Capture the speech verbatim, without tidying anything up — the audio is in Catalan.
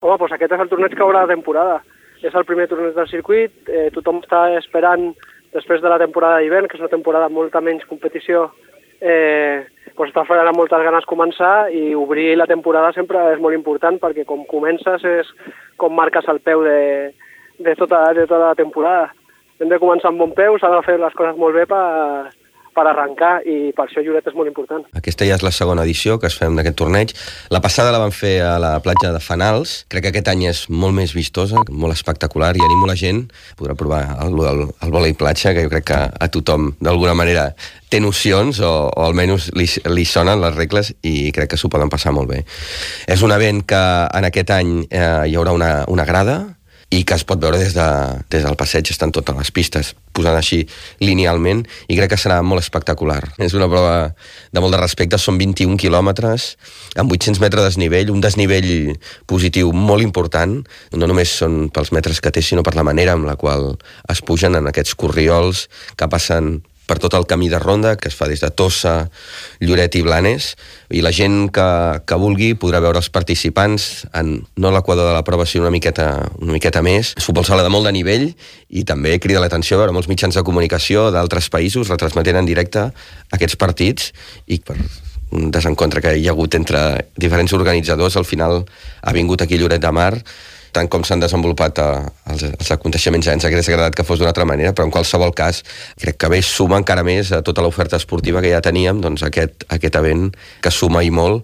Home, doncs aquest és el torneig que haurà de temporada. És el primer torneig del circuit, eh, tothom està esperant, després de la temporada d'hivern, que és una temporada amb molta menys competició, eh, doncs està esperant amb moltes ganes començar, i obrir la temporada sempre és molt important, perquè com comences és com marques el peu de, de, tota, de tota la temporada. Hem de començar amb bon peu, s'ha de fer les coses molt bé per, per arrencar, i per això Lloret és molt important. Aquesta ja és la segona edició que es fem d'aquest torneig. La passada la vam fer a la platja de Fanals. Crec que aquest any és molt més vistosa, molt espectacular, i animo la gent a poder provar el, el, el vòlei platja, que jo crec que a tothom d'alguna manera té nocions, o, o almenys li, li sonen les regles, i crec que s'ho poden passar molt bé. És un event que en aquest any eh, hi haurà una, una grada, i que es pot veure des, de, des del passeig, estan totes les pistes posant així linealment, i crec que serà molt espectacular. És una prova de molt de respecte, són vint-i-un quilòmetres, amb vuit-cents metres de desnivell, un desnivell positiu molt important, no només són pels metres que té, sinó per la manera amb la qual es pugen en aquests corriols que passen per tot el camí de ronda, que es fa des de Tossa, Lloret i Blanes, i la gent que, que vulgui podrà veure els participants en no l'equador de la prova, sinó una miqueta, una miqueta més. És futbol sala de molt de nivell, i també crida l'atenció a veure molts mitjans de comunicació d'altres països retransmetent en directe aquests partits, i per un desencontre que hi ha hagut entre diferents organitzadors, al final ha vingut aquí Lloret de Mar, tant com s'han desenvolupat eh, els, els aconteixements. Ens hauria agradat que fos d'una altra manera, però en qualsevol cas crec que bé suma encara més a tota l'oferta esportiva que ja teníem, doncs aquest, aquest event que suma i molt